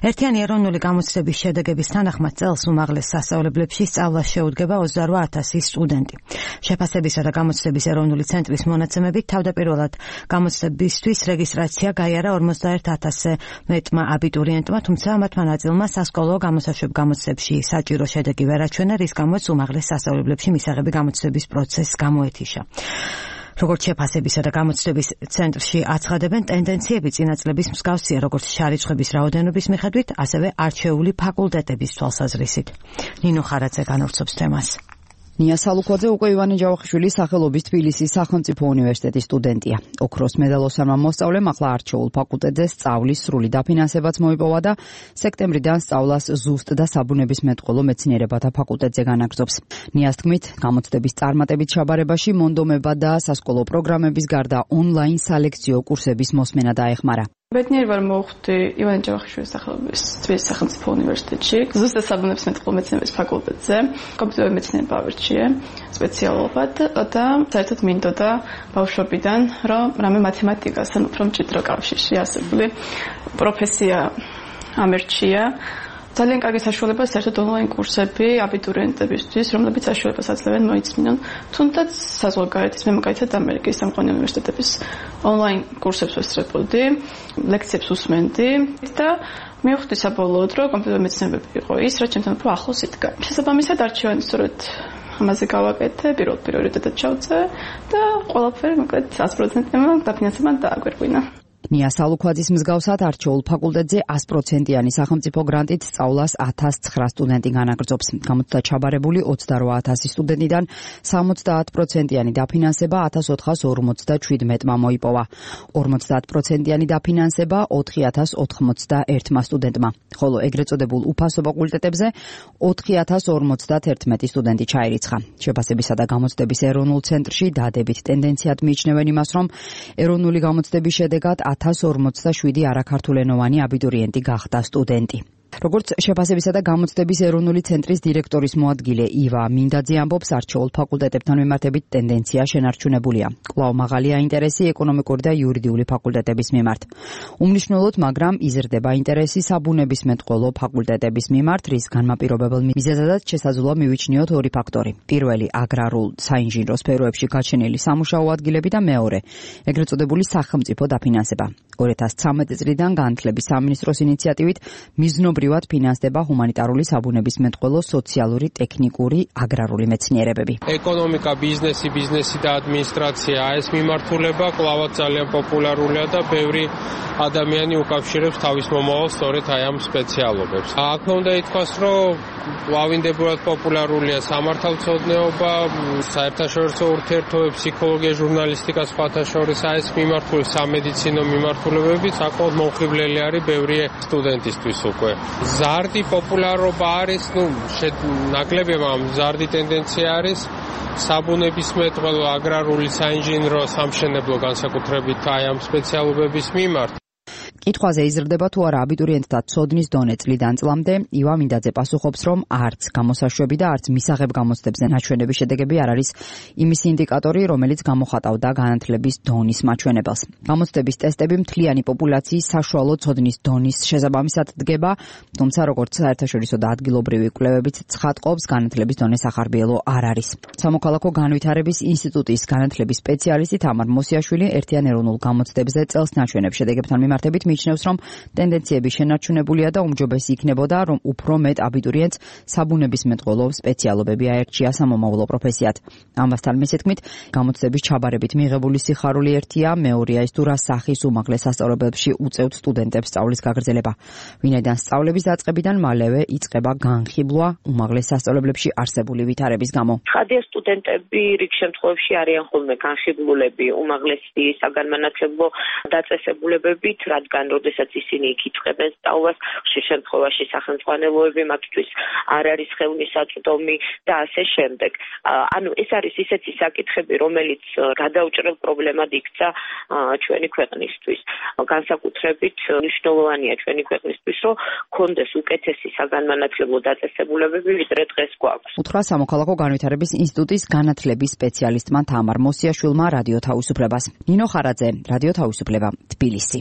ერთიანი ეროვნული გამოცდების შედეგების თანახმად წელს უმაღლეს სასწავლებლებში სწავლას შეუდგება 28,000 სტუდენტი. შეფასებისა და გამოცდების ეროვნული ცენტრის მონაცემებით თავდაპირველად გამოცდებისთვის რეგისტრაცია გაიარა 41,000-ზე მეტმა აბიტურიენტმა, თუმცა მათმა ნაწილმა სასკოლო გამოსაშვებ გამოცდებში საჭირო შედეგი ვერ აჩვენა, რის გამოც უმაღლეს სასწავლებლებში მისაღები გამოცდების პროცესს გამოეთიშა. როგორც შეფასებისა და გამოცდების ცენტრში აცხადებენ, ტენდენციები წინა წლების მსგავსია, როგორც შარიცხების რაოდენობის მიხედვით, ასევე არჩეული ფაკულტეტების თვალსაზრისით. ნინო ხარაძე განავრცობს თემას. ნია სალუკვაძე უკვე ივანე ჯავახიშვილის სახელობის თბილისის სახელმწიფო უნივერსიტეტის სტუდენტია. ოქროს მედალოსანმა მოსწავლემ ახლა არჩეულ ფაკულტეტზე სწავლის სრული დაფინანსებაც მოიპოვა და სექტემბრიდან სწავლას ზუსტ და საბუნებისმეტყველო მეცნიერებათა ფაკულტეტზე განაგრძობს. ნიას თქმით, გამოცდების წარმატებით ჩაბარებაში მონდომება და სასკოლო პროგრამების გარდა ონლაინ სალექციო კურსების მოსმენა დაეხმარა. ბედნიერი ვარ მოვხვდი ივანე ჯავახიშვილის სახელობის თბილისის სახელმწიფო უნივერსიტეტში, ზუსტად საბუნებისმეტყველო მეცნიერების ფაკულტეტზე. კომპიუტერული მეცნიერება ავირჩიე სპეციალობად და საერთოდ მინდოდა ბავშვობიდან, რომ რამე მათემატიკასთან უფრო მჭიდრო კავშირი არსებული პროფესია ამერჩია. ძალიან კარგი საშუალება საერთოდ ონლაინ კურსები აბიტურიენტებისთვის, რომლებიც საშუალებას აძლევენ მოიწმინონ თუნდაც საზღვარგარეთის, მე მაგალითად ამერიკის სამყარო უნივერსიტეტების ონლაინ კურსებს ვესწრებოდი, ლექციებს უსმენდი და მივხვდი საბოლოოდ, რომ კომპიუტერული მეცნიერებები იყო ის, რაც ჩემთან უფრო ახლოს იდგა. შესაბამისად არჩევანი სწორედ ამაზე გავაკეთე, პირველ პრიორიტეტად ჩავწე და ყველაფერი მოკლედ 100%-მა დაფინანსება დააგვირგვინა. ნია სალუკვაძის მსგავსად არჩეულ ფაკულტეტზე 100%-იანი სახელმწიფო გრანტით სწავლას 1,900 სტუდენტი განაგრძობს. გამოცდა ჩაბარებული 28,000 სტუდენტიდან 70%-იანი დაფინანსება 1,457-მა მოიპოვა. 50%-იანი დაფინანსება 4,091 სტუდენტმა, ხოლო ეგრეთ წოდებულ უფასო ფაკულტეტებზე 4,051 სტუდენტი ჩაირიცხა. შეფასებისა და გამოცდების ეროვნულ ცენტრში დადებით ტენდენციად მიიჩნევენ იმას, რომ ეროვნული გამოცდების შედეგად 1,047 არაქართულენოვანი აბიტურიენტი გახდა სტუდენტი. როგორც შეფასებისა და გამოცდების ეროვნული ცენტრის დირექტორის მოადგილე ივა მინდაძე ამბობს, არჩეულ ფაკულტეტებთან მიმართებით ტენდენცია შენარჩუნებულია. კვლავ მაღალია ინტერესი ეკონომიკური და იურიდიული ფაკულტეტების მიმართ. უმნიშვნელოდ, მაგრამ იზრდება ინტერესი საბუნებისმეტყველო ფაკულტეტების მიმართ, რის განმაპირობებელ მიზეზადაც შესაძლოა მივიჩნიოთ ორი ფაქტორი. პირველი, აგრარულ საინჟინრო სფეროებში გაჩენილი სამუშაო ადგილები და მეორე, ეგრეთ წოდებული სახელმწიფო დაფინანსება. 2013 წლიდან განათლების სამინისტროს ინიციატივით მიზნობრივად ფინანსდება ჰუმანიტარული საბუნებისმეტყველო, სოციალური, ტექნიკური, აგრარული მეცნიერებები. ეკონომიკა, ბიზნესი და ადმინისტრაცია ეს მიმართულება კვლავაც ძალიან პოპულარულია და ბევრი ადამიანი უკავშირებს თავის მომავალს სწორედ აი ამ სპეციალობებს. აქ უნდა ითქვას, რომ ლავინდებურად პოპულარულია სამართალმცოდნეობა, საერთაშორისო ურთიერთობები, ფსიქოლოგია, ჟურნალისტიკა, სხვათა შორის ეს მიმართული სამედიცინო მიმართულებები საკმაოდ მომხიბლელი არის ბევრი სტუდენტისთვის უკვე. ზარდი პოპულარობა არის, ნაკლებია, მაგრამ ზარდი ტენდენცია არის საბუნებისმეტყველო, აგრარული, საინჟინრო, სამშენებლო განსაკუთრებით აი ამ სპეციალობების მიმართ. კითხვაზე იზრდება თუ არა აბიტურიენტთა ცოდნის დონე წლიდან წლამდე, ივა მინდაძე პასუხობს, რომ არც გამოსაშვები და არც მისაღებ გამოცდებზე ნაჩვენების შედეგები არ არის იმის ინდიკატორი, რომელიც გამოხატავდა განათლების დონის მაჩვენებელს. გამოცდების ტესტები მთლიანი პოპულაციის საშუალო ცოდნის დონის შესაბამისად დგება, თუმცა როგორც საერთაშორისო და ადგილობრივი კვლევებიც ცხადყოფს, განათლების დონე სახარბიელო არ არის. სამოქალაქო განვითარების ინსტიტუტის განათლების სპეციალისტი თამარ მოსიაშვილი ერთიან ეროვნულ გამოცდებზე წელს ნაჩვენებ შედეგებთან მიმართებით მიიჩნევს, რომ ტენდენციები შენარჩუნებულია და უმჯობესი იქნებოდა, რომ უფრო მეტ აბიტურიენტს საბუნებისმეტყველო სპეციალობები აერჩია სამომავლო პროფესიად. ამასთან მისი თქმით, გამოცდების ჩაბარებით მიღებული სიხარული ერთია, მეორეა ის თუ რა სახის უმაღლეს სასწავლებლებში უწევთ სტუდენტებს სწავლის გაგრძელება. ვინაიდან სწავლების დაწყებიდან მალევე იწყება განხილვა უმაღლეს სასწავლებლებში არსებული ვითარების გამო. ხადია სტუდენტები რიგ შემთხვევებში არიან ხოლმე განხილულები უმაღლესი საგანმანათლებლო დაწესებულებებით, რადგან როდესაც ისინი იქ იწყებენ სწავლას, ხშირ შემთხვევაში სახელმძღვანელოები მათთვის არ არის ხელმისაწვდომი და ასე შემდეგ. ანუ ეს არის ისეთი საკითხები, რომელიც გადაუჭრელ პრობლემად იქცა ჩვენი ქვეყნისთვის. განსაკუთრებით მნიშვნელოვანია ჩვენი ქვეყნისთვის, რომ კონდეს უკეთესი საგანმანათლებლო დაწესებულებები, ვიდრე დღეს გვაქვს. უთხრა სამოქალაქო განვითარების ინსტიტუტის განათლების სპეციალისტმა თამარ მოსიაშვილმა რადიო თავისუფლებას. ნინო ხარაძე, რადიო თავისუფლება, თბილისი.